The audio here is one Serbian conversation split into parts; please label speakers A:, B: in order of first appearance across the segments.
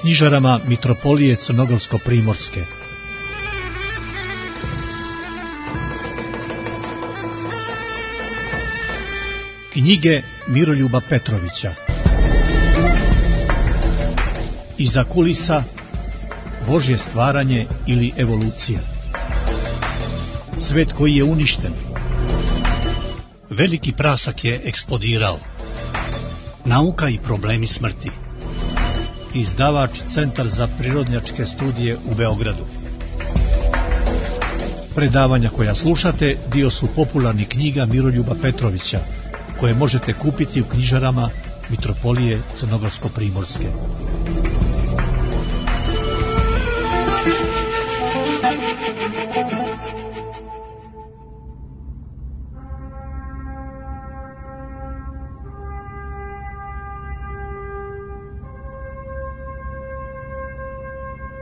A: knjižarama Mitropolije Crnogorsko-primorske. Knjige Miroljuba Petrovića. Iza kulisa, Božje stvaranje ili evolucija. Svet koji je uništen. Veliki prasak je eksplodirao. Nauka i problemi smrti. Izdavač Centar za prirodnjačke studije u Beogradu. Predavanja koja slušate dio su popularnih knjiga Miroljuba Petrovića, koje možete kupiti u knjižarama Mitropolije Crnogorsko-primorske.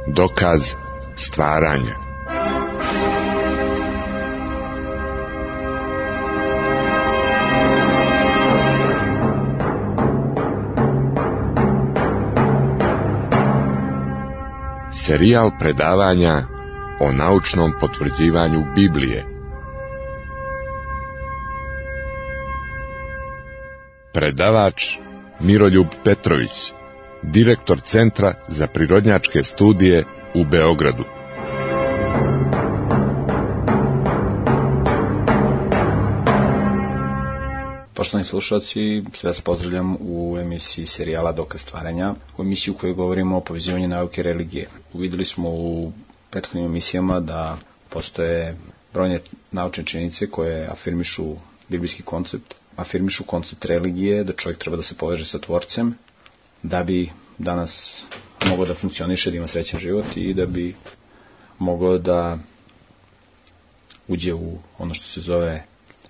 B: Dokaz stvaranja. Serijal predavanja o naučnom potvrđivanju Biblije. Predavač Miroljub Petrović, direktor Centra za prirodnjačke studije u Beogradu.
C: Poštovani slušalci, sve vas pozdravljam u emisiji serijala Dokaz stvaranja, u emisiji u kojoj govorimo o povezivanju nauke i religije. Uvideli smo u prethodnim emisijama da postoje brojne naučne činjenice koje afirmišu biblijski koncept, afirmišu koncept religije, da čovjek treba da se poveže sa Tvorcem, da bi danas mogao da funkcioniše, da ima srećan život i da bi mogao da uđe u ono što se zove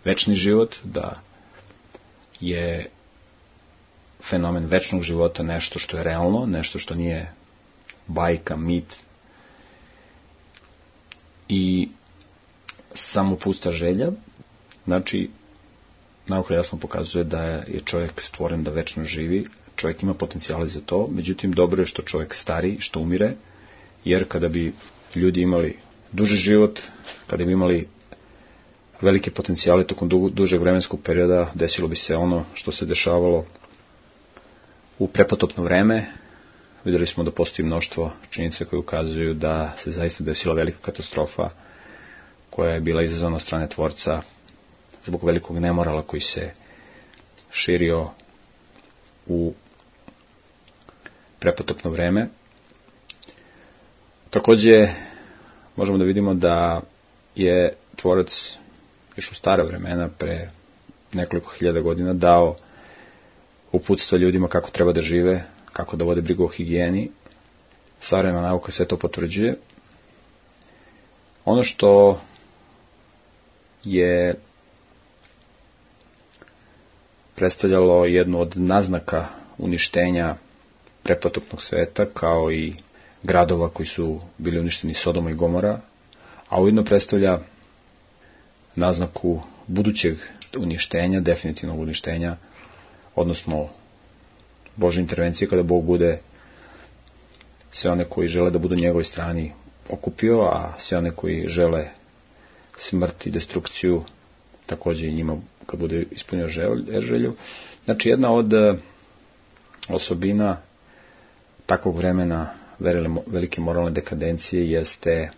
C: večni život, da je fenomen večnog života nešto što je realno, nešto što nije bajka, mit i samo pusta želja. Znači, nauka jasno pokazuje da je čovjek stvoren da večno živi, čovjek ima potencijale za to, međutim dobro je što čovjek stari, što umire, jer kada bi ljudi imali duži život, kada bi imali velike potencijale tokom dužeg vremenskog perioda, desilo bi se ono što se dešavalo u prepotopno vreme. Vidjeli smo da postoji mnoštvo činjenica koje ukazuju da se zaista desila velika katastrofa koja je bila izazvana od strane Tvorca zbog velikog nemorala koji se širio u prepotopno vreme. Također možemo da vidimo da je Tvorac još u stara vremena, pre nekoliko hiljada godina, dao uputstva ljudima kako treba da žive, kako da vode brigu o higijeni. Savremena nauka sve to potvrđuje. Ono što je predstavljalo jednu od naznaka uništenja prepotopnog sveta, kao i gradova koji su bili uništeni, Sodoma i Gomora, a ujedno predstavlja naznaku budućeg uništenja, definitivnog uništenja, odnosno Božje intervencije kada Bog bude sve one koji žele da budu na njegovoj strani okupio, a sve one koji žele smrt i destrukciju također i njima kad bude ispunio želju. Znači, jedna od osobina takvog vremena velike moralne dekadencije jeste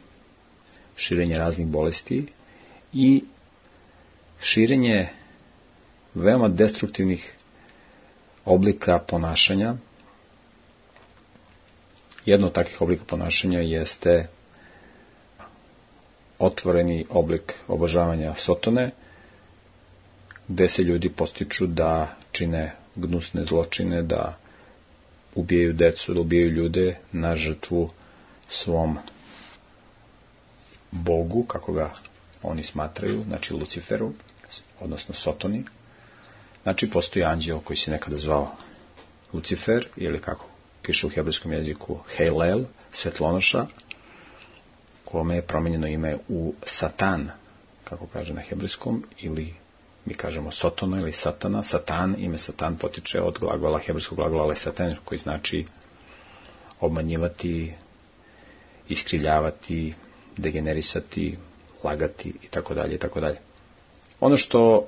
C: širenje raznih bolesti i širenje veoma destruktivnih oblika ponašanja. Jedno od takvih oblika ponašanja jeste otvoreni oblik obožavanja Sotone, gde se ljudi podstiču da čine gnusne zločine, da ubijaju decu, da ubijaju ljude na žrtvu svom Bogu, kako ga oni smatraju, znači Luciferu, odnosno Sotoni. Znači, postoji anđeo koji se nekada zvao Lucifer, ili kako piše u hebrejskom jeziku Hejlel, svetlonoša, kome je promenjeno ime u Satan, kako kaže na hebrejskom, ili mi kažemo Sotona ili Satana. Satan, ime Satan potiče od glagola, hebrejskog glagola lesatan, koji znači obmanjivati, iskrivljavati, degenerisati, lagati i tako dalje i tako dalje. Ono što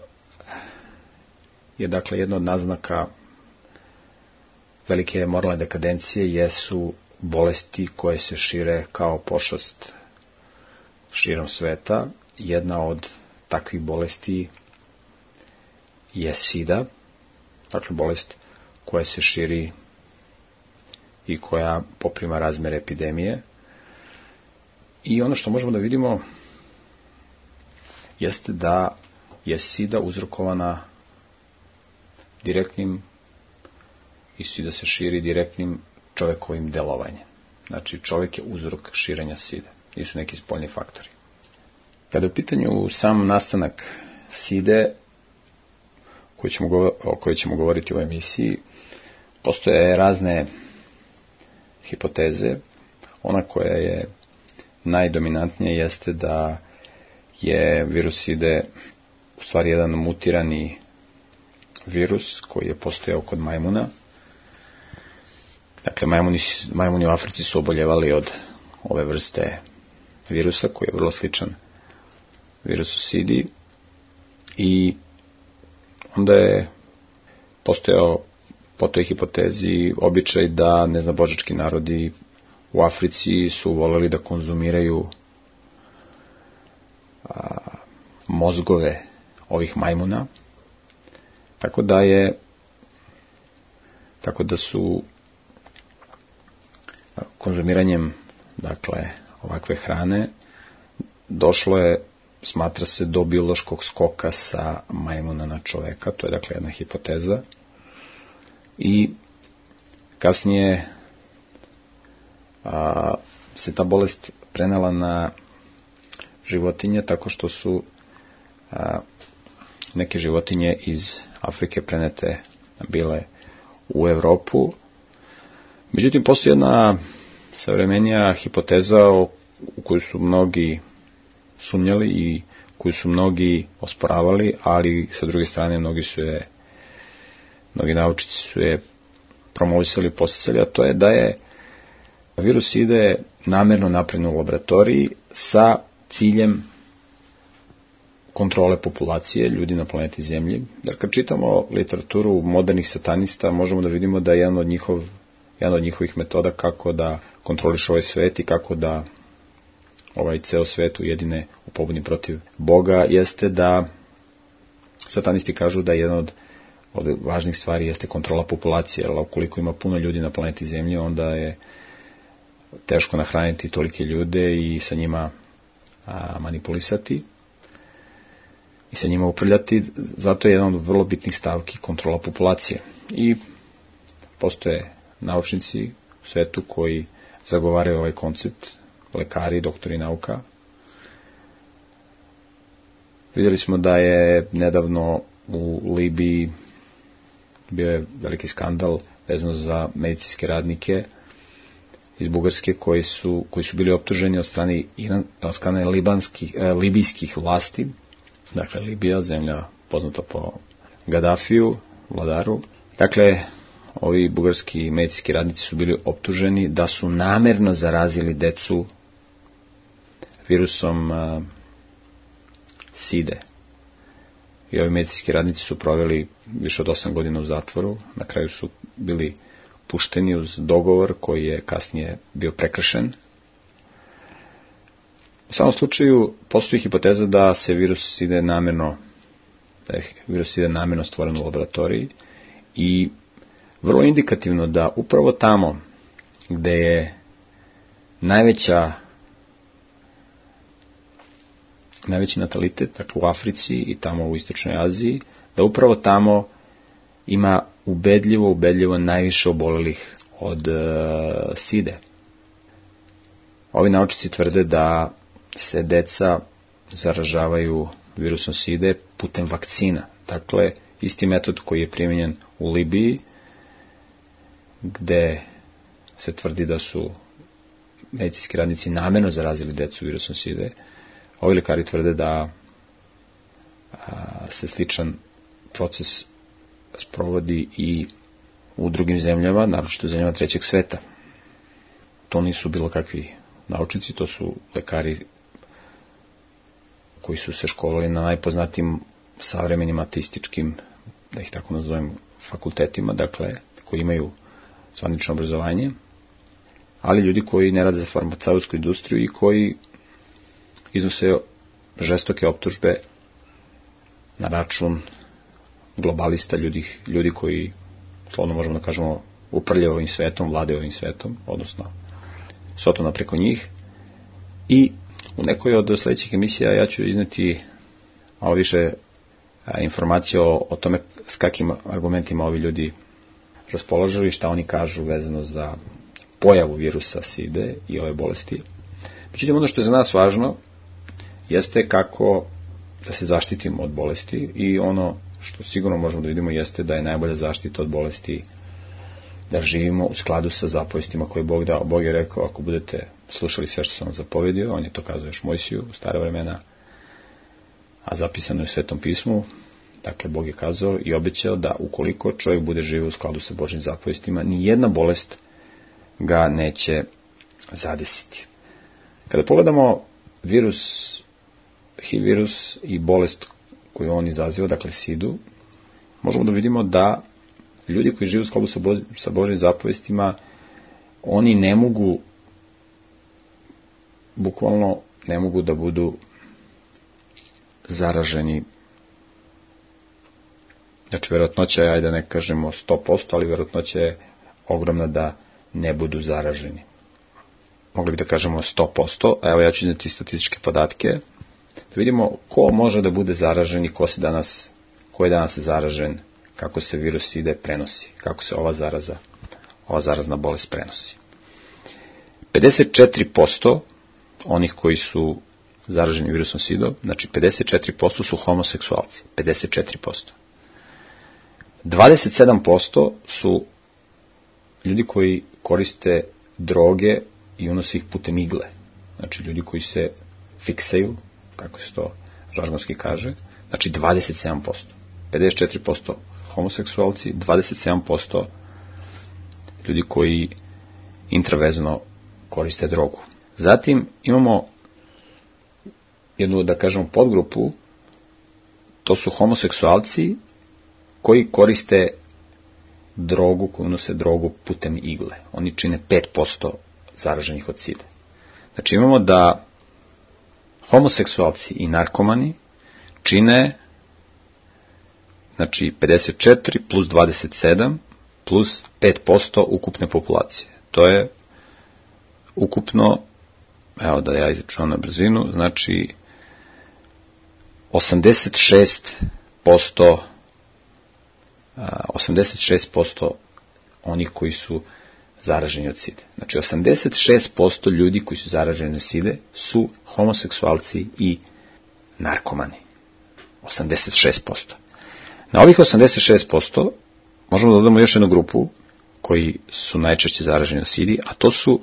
C: je dakle jedna od naznaka velike moralne dekadencije jesu bolesti koje se šire kao pošast širom sveta. Jedna od takvih bolesti je sida, dakle bolest koja se širi i koja poprima razmere epidemije. I ono što možemo da vidimo jeste da je sida uzrokovana direktnim i sida se širi direktnim čovekovim delovanjem. Znači, čovjek je uzrok širenja side, nisu neki spoljni faktori. Kada je u pitanju sam nastanak side, o kojoj ćemo govoriti u emisiji, postoje razne hipoteze. Ona koja je najdominantnija jeste da je virus side u stvari jedan mutirani virus koji je postojao kod majmuna. Dakle, majmuni u Africi su oboljevali od ove vrste virusa koji je vrlo sličan virusu sidi i onda je postojao po toj hipotezi običaj da neznabožački narodi u Africi su voleli da konzumiraju mozgove ovih majmuna, tako da su konzumiranjem dakle ovakve hrane došlo je, smatra se, do biološkog skoka sa majmuna na čoveka. To je dakle jedna hipoteza. I kasnije se ta bolest prenela na životinje tako što su neke životinje iz Afrike prenete bile u Evropu. Međutim, postoji jedna savremenija hipoteza u koju su mnogi sumnjali i koju su mnogi osporavali, ali sa druge strane mnogi naučnici su je promovisali i podsticali, a to je da je virus ide namerno napravljen u laboratoriji sa ciljem kontrole populacije ljudi na planeti Zemlji. Dakle, kad čitamo literaturu modernih satanista, možemo da vidimo da je jedan od njihovih metoda kako da kontroliš ovaj svet i kako da ovaj ceo svet ujedine u pobuni protiv Boga, jeste da satanisti kažu da jedan od važnih stvari jeste kontrola populacije, jer ukoliko ima puno ljudi na planeti Zemlji, onda je teško nahraniti tolike ljude i sa njima manipulisati i sa njima upravljati. Zato je jedan od vrlo bitnih stavki kontrola populacije. I postoje naučnici u svetu koji zagovaraju ovaj koncept, lekari, doktori nauka. Vidjeli smo da je nedavno u Libiji bio je veliki skandal vezano za medicinske radnike iz Bugarske koji su bili optuženi od strane libijskih vlasti. Dakle, Libija, zemlja poznata po Gadafiju, vladaru. Dakle, ovi bugarski medicinski radnici su bili optuženi da su namerno zarazili decu virusom side. I ovi medicinski radnici su proveli više od 8 godina u zatvoru. Na kraju su bili pušteni uz dogovor koji je kasnije bio prekršen. U samom slučaju postoji hipoteza da je virus side namerno stvoren u laboratoriji i vrlo indikativno da upravo tamo gde je najveći natalitet, dakle u Africi i tamo u Istočnoj Aziji, da upravo tamo ima ubedljivo najviše obolelih od side. Ovi naučnici tvrde da se deca zaražavaju virusom side putem vakcina. Dakle, isti metod koji je primijenjen u Libiji, gde se tvrdi da su medicinski radnici namerno zarazili decu virusom side, ovi lekari tvrde da se sličan proces sprovodi i u drugim zemljama, naročito zemljama trećeg sveta. to nisu bilo kakvi naučnici, to su lekari koji su se školovali na najpoznatijim savremenim ateističkim, da ih tako nazovem, fakultetima, dakle, koji imaju zvanično obrazovanje, ali ljudi koji ne rade za farmaceutsku industriju i koji iznose žestoke optužbe na račun globalista, ljudi koji, slovno možemo da kažemo, upravljaju ovim svetom, vladaju ovim svetom, odnosno Sotona preko njih. I u nekoj od sledećih emisija ja ću izneti malo više informacije o tome s kakvim argumentima ovi ljudi raspolažu i šta oni kažu vezano za pojavu virusa SIDE i ove bolesti. Međutim, ono što je za nas važno jeste kako da se zaštitimo od bolesti i ono što sigurno možemo da vidimo jeste da je najbolja zaštita od bolesti da živimo u skladu sa zapovestima koje je Bog dao. Bog je rekao, ako budete slušali sve što sam vam zapovedio, on je to kazao još Mojsiju u stare vremena, a zapisano je u Svetom pismu, dakle Bog je kazao i obećao da ukoliko čovjek bude živio u skladu sa Božjim zapovestima, ni jedna bolest ga neće zadesiti. Kada pogledamo HIV virus i bolest koju on izaziva, dakle SIDU, možemo da vidimo da ljudi koji žive u skladu sa Božjim zapovestima, oni ne mogu, bukvalno ne mogu da budu zaraženi. Znači, verovatnoća je, ajde da ne kažemo 100%, ali verovatnoća je ogromna da ne budu zaraženi. Mogli bi da kažemo 100%, a evo ja ću izneti statističke podatke, da vidimo ko može da bude zaražen i ko je danas zaražen, kako se virus SIDE prenosi, kako se ova zarazna bolest prenosi. 54% onih koji su zaraženi virusom SIDA, znači 54% su homoseksualci, 54%. 27% su ljudi koji koriste droge i unose ih putem igle, znači ljudi koji se fiksaju, kako se to žargonski kaže, znači 27%. 54% homoseksualci, 27% ljudi koji intravezno koriste drogu. Zatim imamo jednu, da kažemo, podgrupu, to su homoseksualci koji koriste drogu, koji unose drogu putem igle. Oni čine 5% zaraženih od SIDE. Znači imamo da homoseksualci i narkomani čine, znači 54 plus 27 plus 5% ukupne populacije. To je ukupno, evo da ja izračunam na brzinu, znači 86% onih koji su zaraženi od SIDE. Znači 86% ljudi koji su zaraženi od SIDE su homoseksualci i narkomani. 86%. Na ovih 86% možemo da dodamo još jednu grupu koji su najčešće zaraženi od SIDE, a to su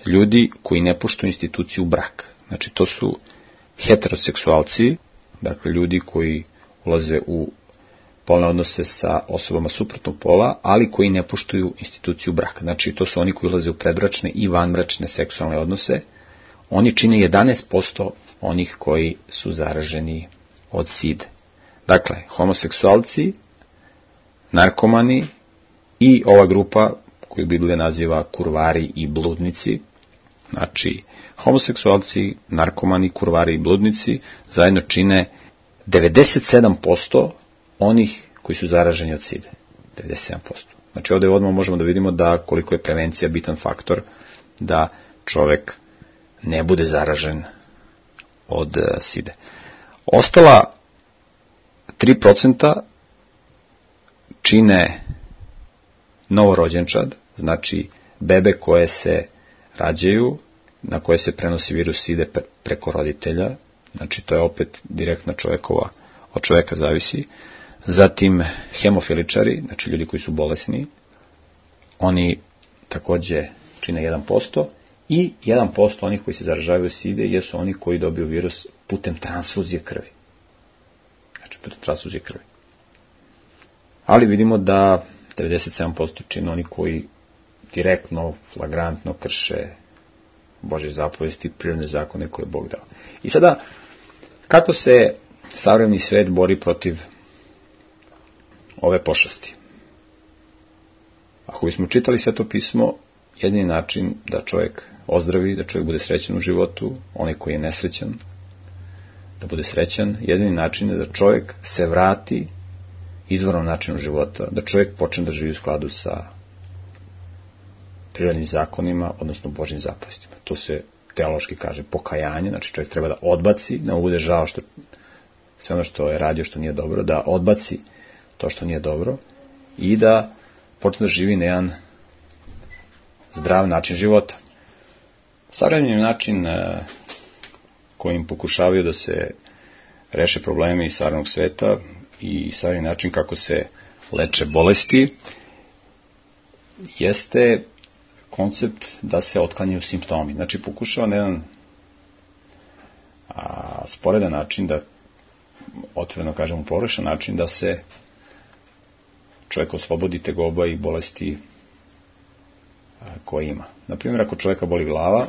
C: ljudi koji ne poštuju instituciju braka. Znači to su heteroseksualci, dakle ljudi koji ulaze u polne odnose sa osobama suprotnog pola, ali koji ne poštuju instituciju braka. Znači to su oni koji ulaze u predbračne i vanbračne seksualne odnose. Oni čine 11% onih koji su zaraženi od SIDE. Dakle, homoseksualci, narkomani i ova grupa koju Biblija naziva kurvari i bludnici. Znači, homoseksualci, narkomani, kurvari i bludnici zajedno čine 97% onih koji su zaraženi od SIDE. 97%. Znači, ovdje odmah možemo da vidimo da koliko je prevencija bitan faktor da čovek ne bude zaražen od SIDE. Ostala 3% čine novorođenčad, znači bebe koje se rađaju, na koje se prenosi virus SIDE preko roditelja, znači to je opet direktna od čoveka zavisi. Zatim hemofiličari, znači ljudi koji su bolesni, oni takođe čine 1%, i 1% onih koji se zaražavaju SIDE jesu oni koji dobiju virus putem transfuzije krvi. Znači putem transfuzije krvi. Ali vidimo da 97% čine oni koji direktno, flagrantno krše Božje zapovesti, prirodne zakone koje je Bog dao. I sada, kako se savremeni svet bori protiv ove pošasti? Ako bismo čitali Sveto pismo, jedini način da čovjek ozdravi, da čovjek bude srećan u životu, onaj koji je nesrećan, da bude srećan, jedini način je da čovjek se vrati izvornom načinu života, da čovjek počne da živi u skladu sa prirodnim zakonima, odnosno Božjim zapovestima. To se teološki kaže pokajanje, znači čovjek treba da odbaci, da mu bude žao što sve ono što je radio što nije dobro, da odbaci to što nije dobro i da počne da živi na jedan zdrav način života. Savremeni način kojim pokušavaju da se reše problemi iz savremenog sveta i savremeni način kako se leče bolesti jeste koncept da se otklanjaju simptomi. Znači pokušava na jedan sporedan način, da otvoreno kažemo pogrešan način, da se čovjek oslobodi tegoba i bolesti koje ima. Naprimjer, ako čovjeka boli glava,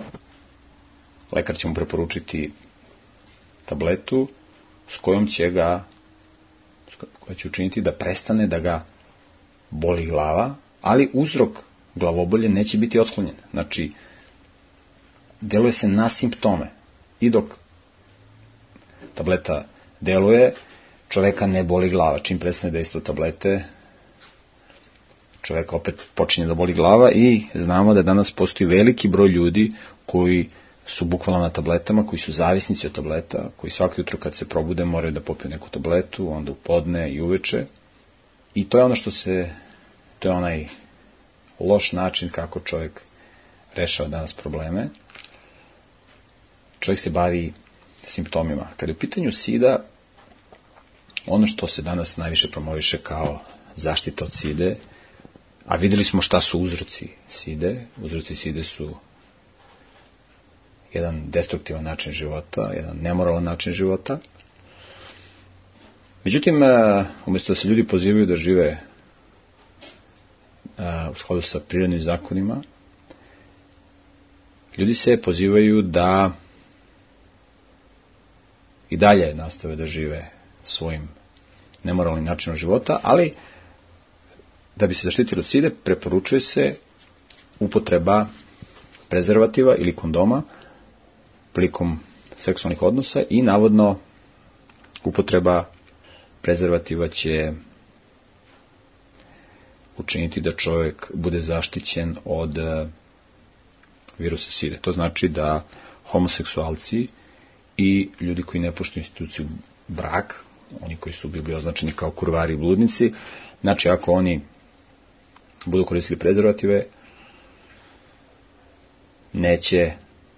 C: lekar će mu preporučiti tabletu s kojom će ga, koja će učiniti da prestane da ga boli glava, ali uzrok glavobolje neće biti otklonjen. Znači, deluje se na simptome. I dok tableta deluje, čoveka ne boli glava. Čim prestane dejstvo tablete, čoveka opet počinje da boli glava i znamo da danas postoji veliki broj ljudi koji su bukvalno na tabletama, koji su zavisnici od tableta, koji svako jutro kad se probude moraju da popiju neku tabletu, onda u podne i uveče. I to je ono to je onaj loš način kako čovjek rešava danas probleme. Čovjek se bavi simptomima. Kada je u pitanju sida, ono što se danas najviše promoviše kao zaštita od side, a videli smo šta su uzroci side. Uzroci side su jedan destruktivan način života, jedan nemoralan način života. Međutim, umjesto da se ljudi pozivaju da žive u skladu sa prirodnim zakonima, ljudi se pozivaju da i dalje nastave da žive svojim nemoralnim načinom života, ali da bi se zaštitili od side, preporučuje se upotreba prezervativa ili kondoma prilikom seksualnih odnosa i navodno upotreba prezervativa će učiniti da čovjek bude zaštićen od virusa side. To znači da homoseksualci i ljudi koji ne poštuju instituciju brak, oni koji su bili označeni kao kurvari i bludnici, znači ako oni budu koristili prezervative, neće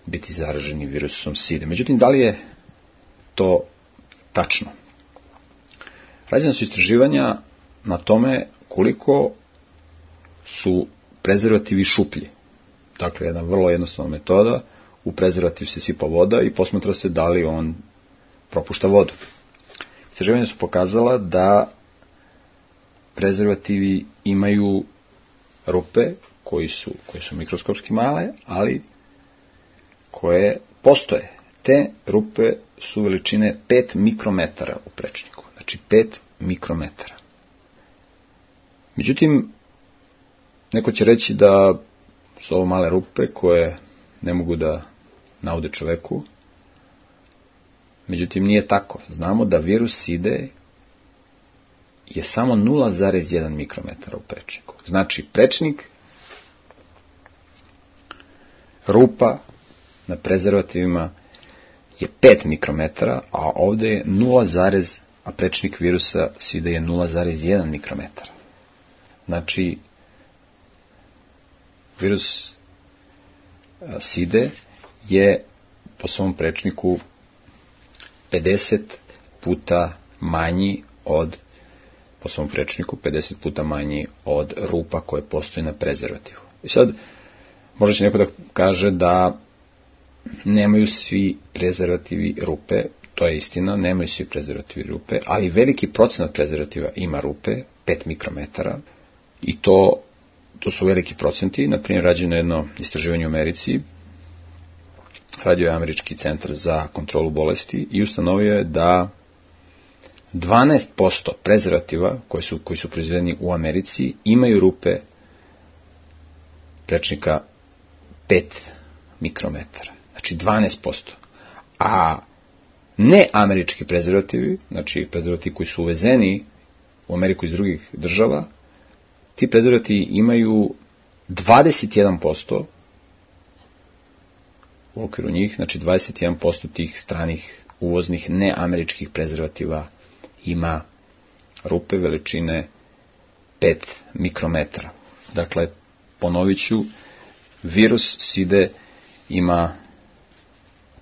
C: biti zaraženi virusom side. Međutim, da li je to tačno? Rađena su istraživanja na tome koliko su prezervativi šuplji. Dakle, jedna vrlo jednostavna metoda, u prezervativ se sipa voda i posmatra se da li on propušta vodu. Istraživanja su pokazala da prezervativi imaju rupe koje su mikroskopski male, ali koje postoje. Te rupe su veličine 5 mikrometara u prečniku. Znači 5 mikrometara. Međutim, neko će reći da su ovo male rupe koje ne mogu da naude čoveku. Međutim, nije tako. Znamo da virus side je samo 0,1 mikrometara u prečniku. Znači, prečnik, rupa na prezervativima je 5 mikrometara, a ovdje je a prečnik virusa side je 0,1 mikrometara. Znači, virus side je po svom prečniku 50 puta manji od rupa koje postoje na prezervativu. I sad, možda će neko da kaže da nemaju svi prezervativi rupe, to je istina, nemaju svi prezervativi rupe, ali veliki procenat prezervativa ima rupe, 5 mikrometara, i to su veliki procenti. Naprimjer, rađeno jedno istraživanje u Americi, radio je Američki centar za kontrolu bolesti i ustanovio je da 12% prezervativa koji su proizvedeni u Americi imaju rupe prečnika 5 mikrometara. Znači 12%. A neamerički prezervativi, znači prezervativi koji su uvezeni u Ameriku iz drugih država, ti prezervativi imaju 21% u okviru njih, znači 21% tih stranih uvoznih neameričkih prezervativa ima rupe veličine 5 mikrometara. Dakle, ponovit ću, virus side ima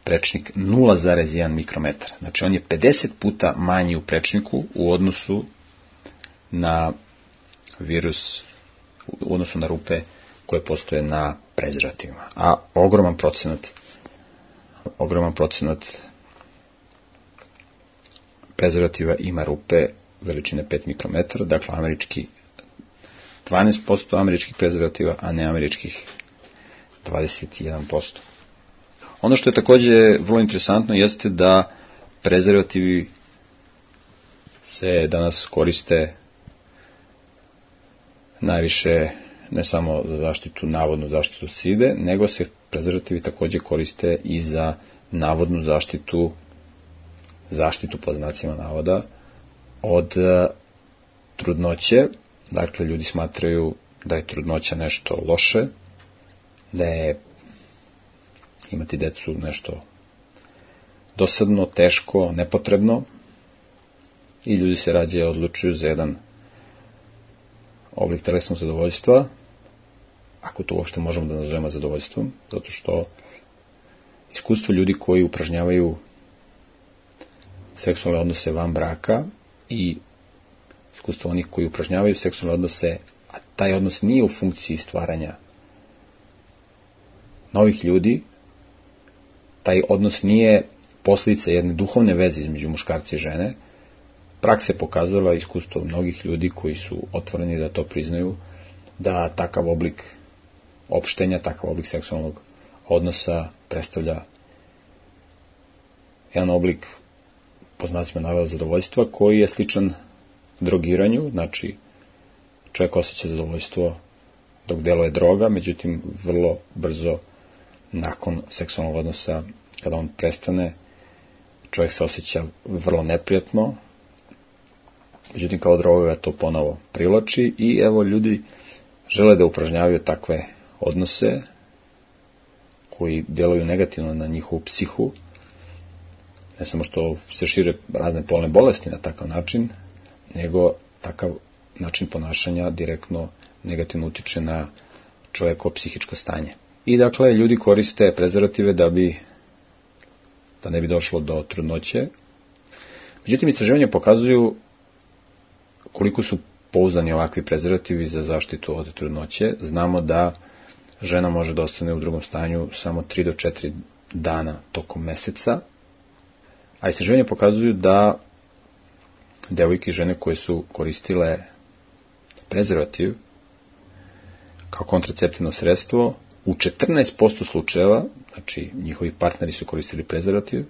C: prečnik 0,1 mikrometar. Znači, on je 50 puta manji u prečniku u odnosu na virus, u odnosu na rupe koje postoje na prezervativima. A ogroman procenat prezervativa ima rupe veličine 5 mikrometara, dakle 12% američkih prezervativa, a neameričkih 21%. Ono što je također vrlo interesantno jeste da prezervativi se danas koriste najviše ne samo za zaštitu, navodnu zaštitu side, nego se prezervativi također koriste i za navodnu zaštitu po znacima navoda od trudnoće. Dakle, ljudi smatraju da je trudnoća nešto loše, da je imati decu nešto dosadno, teško, nepotrebno i ljudi se rađe odlučuju za jedan oblik telesnog zadovoljstva, ako to uopšte možemo da nazovemo zadovoljstvom, zato što iskustvo ljudi koji upražnjavaju seksualne odnose van braka i iskustvo onih koji upražnjavaju seksualne odnose, a taj odnos nije u funkciji stvaranja novih ljudi, taj odnos nije posljedica jedne duhovne veze između muškarca i žene. Praksa je pokazala, iskustvo mnogih ljudi koji su otvoreni da to priznaju, da takav oblik opštenja, takav oblik seksualnog odnosa predstavlja jedan oblik, po znacima navoda, zadovoljstva koji je sličan drogiranju. Znači, čovjek osjeća zadovoljstvo dok deluje droga, međutim vrlo brzo nakon seksualnog odnosa, kada on prestane, čovjek se osjeća vrlo neprijatno, međutim kao droga ga to ponovo privlači i evo ljudi žele da upražnjavaju takve odnose koji djeluju negativno na njihovu psihu, ne samo što se šire razne polne bolesti na takav način, nego takav način ponašanja direktno negativno utiče na čovjekovo psihičko stanje. I dakle, ljudi koriste prezervative da ne bi došlo do trudnoće. Međutim, istraživanja pokazuju koliko su pouzdani ovakvi prezervativi za zaštitu od trudnoće. Znamo da žena može da ostane u drugom stanju samo 3 do 4 dana tokom meseca, a istraživanja pokazuju da devojke i žene koje su koristile prezervativ kao kontraceptivno sredstvo, u 14% slučajeva, znači njihovi partneri su koristili prezervativ,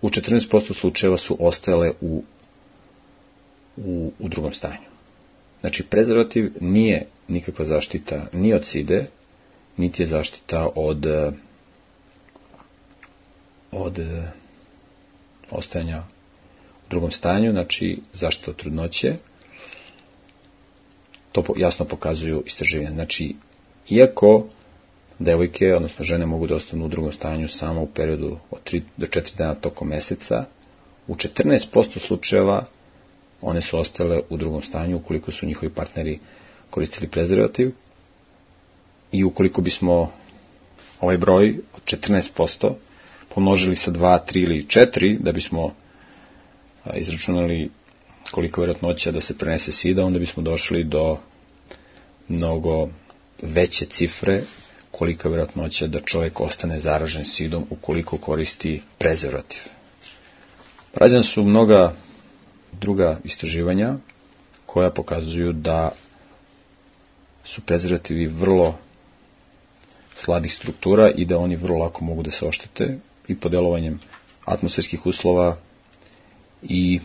C: u 14% slučajeva su ostajale u drugom stanju. Znači, prezervativ nije nikakva zaštita ni od side, niti je zaštita od ostajanja u drugom stanju, znači zaštita od trudnoće. To jasno pokazuju istraživanja. Znači, iako devojke, odnosno žene, mogu da ostanu u drugom stanju samo u periodu od 3 do 4 dana tokom meseca, u 14% slučajeva one su ostale u drugom stanju ukoliko su njihovi partneri koristili prezervativ. I ukoliko bismo ovaj broj od 14% pomnožili sa 2, 3 ili 4, da bismo izračunali koliko je vjerojatnoća da se prenese sida, onda bismo došli do mnogo veće cifre kolika je vjerojatnoća da čovjek ostane zaražen sidom ukoliko koristi prezervativ. Rađena su mnoga druga istraživanja koja pokazuju da su prezervativi vrlo slabih struktura i da oni vrlo lako mogu da se oštete i pod delovanjem atmosferskih uslova i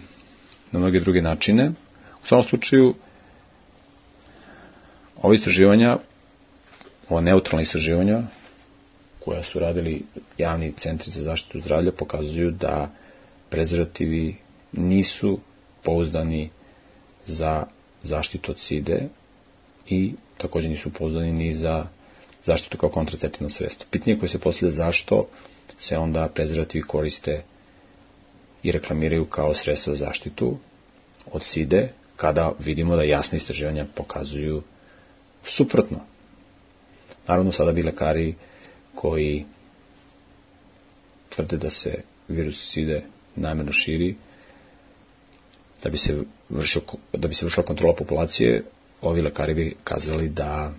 C: na mnoge druge načine. U svakom slučaju, ova istraživanja, ova neutralna istraživanja, koja su radili javni centri za zaštitu zdravlja, pokazuju da prezervativi nisu pouzdani za zaštitu od side i također nisu pouzdani ni za zaštitu kao kontraceptivno sredstvo. Pitanje koje se postavlja zašto se onda prezervativi koriste i reklamiraju kao sredstvo za zaštitu od side, kada vidimo da jasne istraživanja pokazuju suprotno. Naravno, sada bi lekari koji tvrde da se virus side namjerno širi, da bi se vršila kontrola populacije, ovi lekari bi kazali da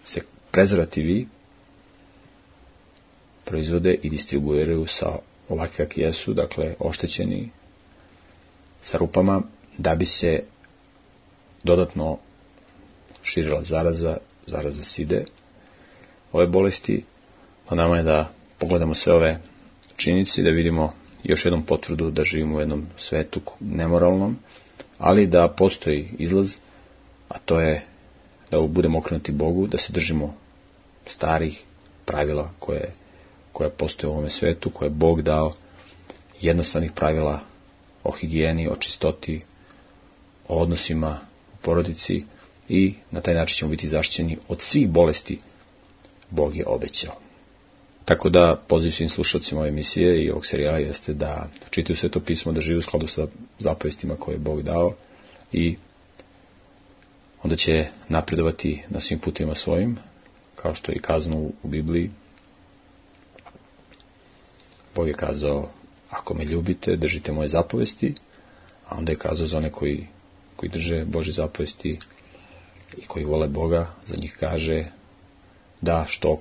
C: se prezervativi proizvode i distribuiraju sa ovakvi kakvi jesu, dakle oštećeni, sa rupama, da bi se dodatno širila zaraza side, ove bolesti. A nama je da pogledamo sve ove činjenice i da vidimo još jednom potvrdu da živimo u jednom svetu nemoralnom, ali da postoji izlaz, a to je da budemo okrenuti Bogu, da se držimo starih pravila koje postoje u ovome svetu, koje je Bog dao, jednostavnih pravila o higijeni, o čistoti, o odnosima u porodici, i na taj način ćemo biti zaštićeni od svih bolesti Bog je obećao. Tako da poziv svim slušalcima ove emisije i ovog serijala jeste da čitaju Sveto pismo, da žive u skladu sa zapovestima koje je Bog dao i onda će napredovati na svim putima svojim, kao što je i kazano u Bibliji. Bog je kazao, ako me ljubite, držite moje zapovesti, a onda je kazao za one koji drže Božje zapovesti i koji vole Boga, za njih kaže da što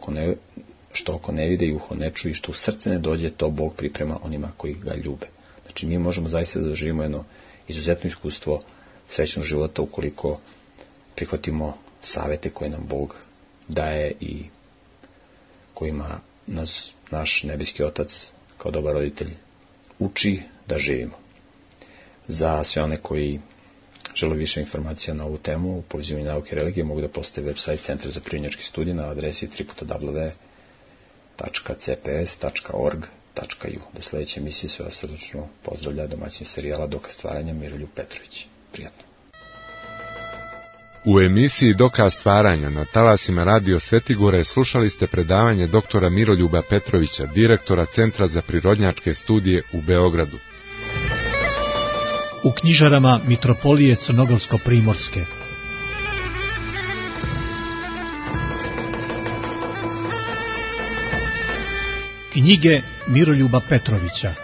C: oko ne vide i uho ne čuje i što u srce ne dođe, to Bog priprema onima koji ga ljube. Znači mi možemo zaista da doživimo jedno izuzetno iskustvo srećnog života ukoliko prihvatimo savete koje nam Bog daje i kojima nas naš nebeski Otac kao dobar roditelj uči da živimo. Za sve one koji žele više informacija na ovu temu u povezivanju nauke i religije, mogu da posete website Centra za prirodnjačke studije na adresi www.cps.org.u. Do sljedeće emisije sve vas srdačno pozdravlja domaćin serijala Dokaz stvaranja Miroljub Petrović. Prijatno.
B: U emisiji Dokaz stvaranja na talasima Radio Svetigore slušali ste predavanje doktora Miroljuba Petrovića, direktora Centra za prirodnjačke studije u Beogradu.
A: U knjižarama Mitropolije Crnogorsko-primorske. Knjige Miroljuba Petrovića.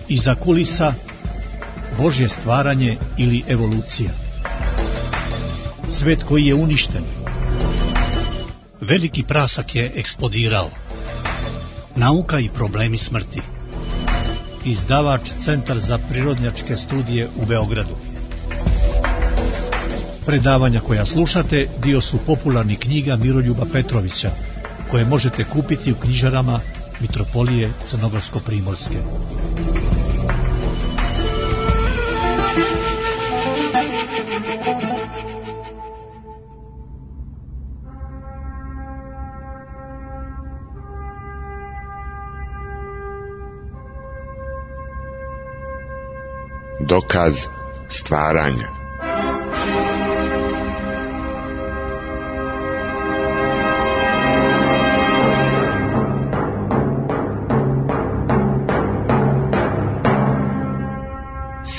A: Iza kulisa, Božje stvaranje ili evolucija. Svet koji je uništen. Veliki prasak je eksplodirao. Nauka i problemi smrti. Izdavač Centar za prirodnjačke studije u Beogradu. Predavanja koja slušate dio su popularnih knjiga Miroljuba Petrovića, koje možete kupiti u knjižarama Mitropolije Crnogorsko-primorske.
B: Dokaz stvaranja.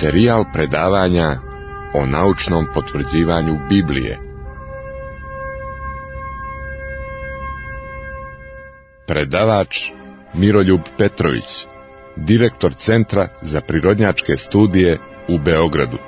B: Serijal predavanja o naučnom potvrđivanju Biblije. Predavač Miroljub Petrović, direktor Centra za prirodnjačke studije u Beogradu.